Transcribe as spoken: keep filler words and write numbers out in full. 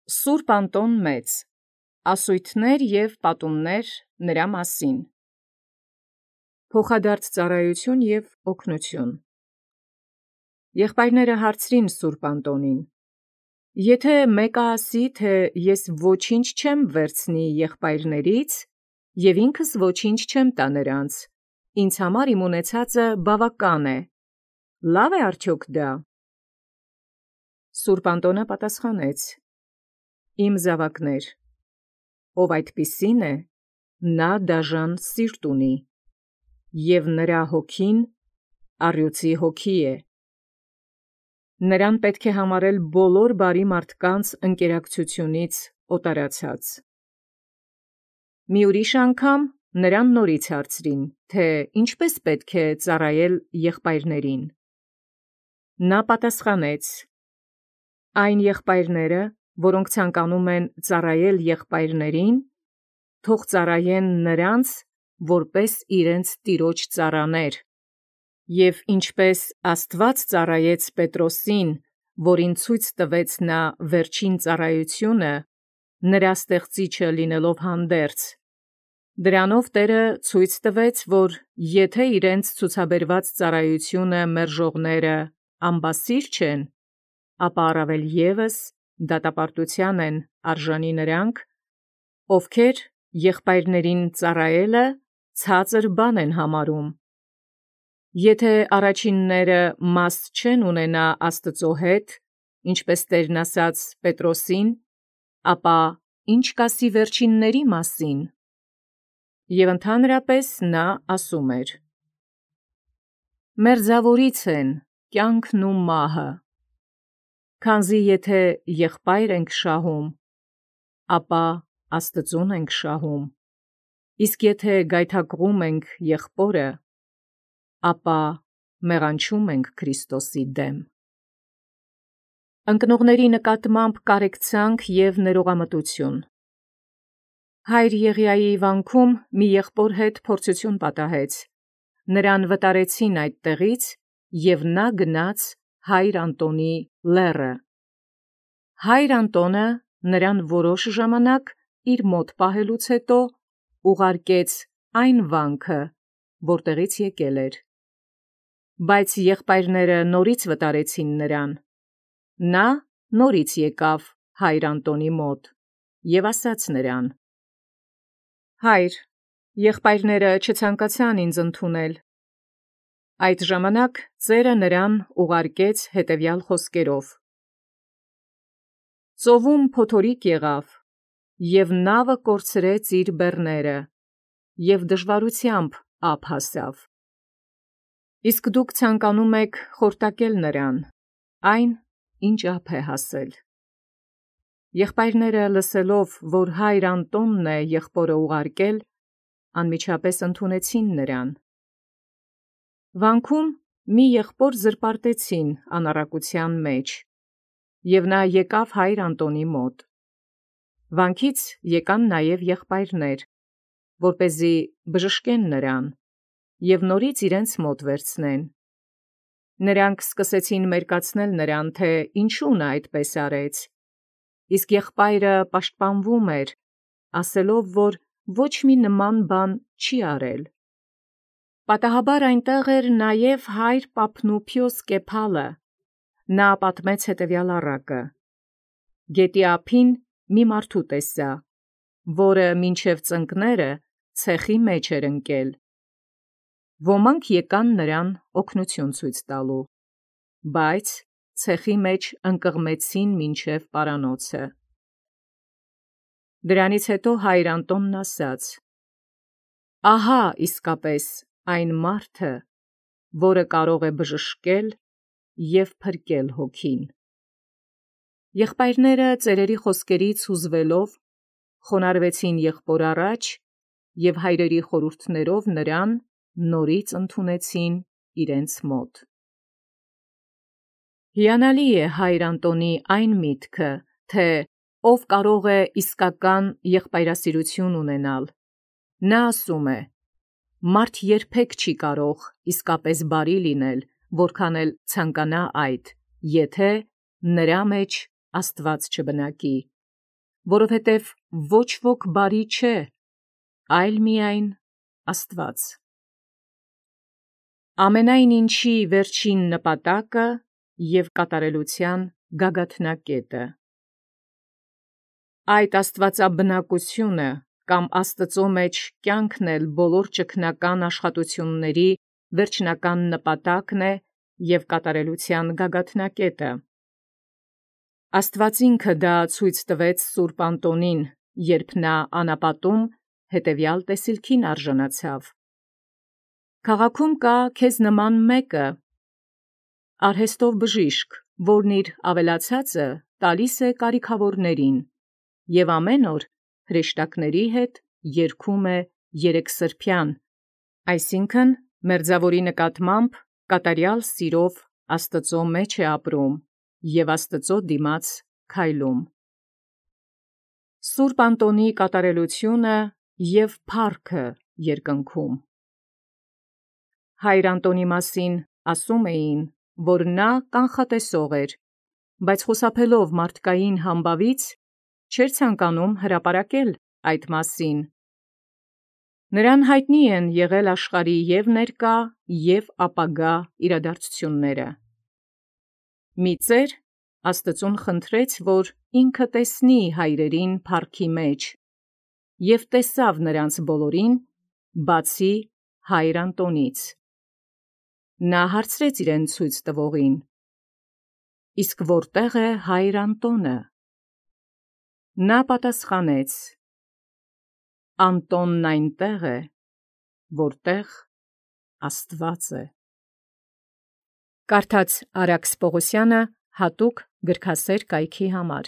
Սուրբ Անտոն Մեծ, ասույթներ և պատումներ նրա մասին։ Փոխադարձ ծառայություն և օգնություն։ Եղբայրները հարցրին Սուրբ Անտոնին. «Եթե մեկը ասի, թե ես ոչինչ չեմ վերցնի եղբայրներից, և ինքս ոչինչ չեմ տա նրանց, ինձ համար իմ ունեցածը բավական է, լավ է արդյոք դա»։ Սուրբ Անտոնը պատասխանեց. «Իմ զավակներ, ով այդպիսին է, նա դաժան սիրտ ունի, և նրա հոգին առյուծի հոգի է։ Նրան պետք է համարել բոլոր բարի մարդկանց ընկերակցությունից օտարացած»։ Մի ուրիշ անգամ նրան նորից հարցրին, թե ինչպես պետք է ծառայել եղբայրներին։ Նա պատասխանեց. «Այն եղբայրները, որոնք ցանկանում են ծառայել եղբայրներին, թող ծառայեն նրանց, որպես իրենց տիրոջ ծառաներ, և ինչպես Աստված ծառայեց Պետրոսին, որին ցույց տվեց նա վերջին ծառայությունը, նրա ստեղծիչը լինելով հանդերձ, դրանով Տէրը ցույց տվեց, որ եթե իրենց ցուցաբերված ծառայությունը մերժողները անբասիր չեն, ապա առավել ևս դատապարտութեան են արժանի նրանք, ովքեր եղբայրներին ծառայելը ցածր բան են համարում։ Եթե առաջինները մաս չեն ունենա Աստուծո հետ, ինչպես Տէրն ասաց Պետրոսին, ապա ի՞նչ կասի վերջինների մասին։ Եւ ընդհանրապես նա ասում էր. «Մերձաւորից են կյանքն ու մահը, քանզի եթե եղբայր ենք շահում, ապա Աստուծոյ ենք շահում, իսկ եթե գայթակղում ենք եղբորը, ապա մեղանչում ենք Քրիստոսի դեմ»։ Ընկնողների նկատմամբ կարեկցանք և ներողամտություն։ Հայր Եղիայի վանքում մի եղբոր հետ փորձություն պատահեց, նրան վտարեցին այդ տեղից, և նա գնաց Հայր Անտոնի լեռը։ Հայր Անտոնը նրան որոշ ժամանակ իր մոտ պահելուց հետո ուղարկեց այն վանքը, որտեղից եկել էր։ Բայց եղբայրները նորից վտարեցին նրան։ Նա նորից եկավ Հայր Անտոնի մոտ և ասաց նրան. «Հայր, եղբայրները չցանկացան ինձ ընդունել»։ Այդ ժամանակ ծերը նրան ուղարկեց հետևյալ խոսքերով. «Ծովում փոթորիկ եղավ, և նավը կորցրեց իր բեռները, և դժվարութեամբ ափ հասավ։ Իսկ դուք ցանկանում եք խորտակել նրան, այն, ինչ ափ է հասել»։ Եղբայրները լսելով, որ Հայր Անտոնն է եղբորը ուղարկել, անմիջապես ընդունեցին նրան։ Վանքում մի եղբոր զրպարտեցին անառակության մեջ, և նա եկավ Հայր Անտոնի մոտ։ Վանքից եկան նաև եղբայրներ, որպեսզի բժշկեն նրան և նորից իրենց մոտ վերցնեն։ Նրանք սկսեցին մերկացնել նրան, թե ինչու նա այդպես արեց, իսկ եղբայրը պաշտպանվում էր, ասելով, որ ոչ մի նման բան չի արել։ Պատահաբար այնտեղ էր նաև հայր Պափնուփիոս Կեփալը։ Նա պատմեց հետևյալ առակը. «Գետի ափին մի մարդու տեսա, որը մինչև ծնկները ցեխի մեջ էր ընկել։ Ոմանք եկան նրան օգնություն ցույց տալու, բայց ցեխի մեջ ընկղմեցին մինչև պարանոցը»։ Դրանից հետո Հայր Անտոնն ասաց. «Ահա իսկապես այն մարդը, որը կարող է բժշկել և փրկել հոգին»։ Եղբայրները ծերերի խոսքերից հուզվելով խոնարհվեցին եղբոր առաջ և հայրերի խորհուրդներով նրան նորից ընդունեցին իրենց մոտ։ Հիանալի է Հայր Անտոնի այն միտքը, թե ով կարող է իսկական եղբայրասիրություն ունենալ։ Նա ասում է. «Մարդ երբեք չի կարող իսկապես բարի լինել, որքան էլ ցանկանա այդ, եթե նրա մեջ Աստված չբնակի»։ որովհետև ոչ ոք բարի չէ, այլ միայն Աստված։ Ամենայն ինչի վերջին նպատակը և կատարելության գագաթնակետը։ Այդ աստվածաբնակությունը կամ Աստծո մեջ կյանքն էլ բոլոր ճգնական աշխատությունների վերջնական նպատակն է և կատարելության գագաթնակետը։ Աստված ինքը դա ցույց տվեց Սուրբ Անտոնին, երբ նա անապատում հետևյալ տեսիլքին արժանացավ. «Քաղաքում կա քեզ նման մեկը, արհեստով բժիշկ, որն իր ավելացածը տալիս է կարիքավորներին, և ամեն օր հրեշտակների հետ երգում է երեքսրբյան», այսինքն մերձաւորի նկատմամբ կատարյալ սիրով Աստծո մեջ է ապրում և Աստծո դիմաց քայլում։ Սուրբ Անտոնի կատարելությունը և փառքը երկնքում։ Հայր Անտոնի մասին ասում էին, որ նա կանխատեսող էր, բայց խուսափելով մարդկային համբավից, չէր ցանկանում հրապարակել այդ մասին։ Նրան յայտնի են եղել աշխարհի և ներկա և ապագա իրադարձությունները։ Մի ծեր Աստծուն խնդրեց, որ ինքը տեսնի հայրերին փառքի մեջ, և տեսավ նրանց բոլորին, բացի Հայր Անտոնից։ Նա հարցրեց իրեն ցույց տվողին. «Իսկ որտե՞ղ է Հայր Անտոնը»։ Նա պատասխանեց. «Անտոնն այնտեղ է, որտեղ Աստված է»։ Կարդաց Արաքս Պողոսյանը հատուկ գրքասեր կայքի համար։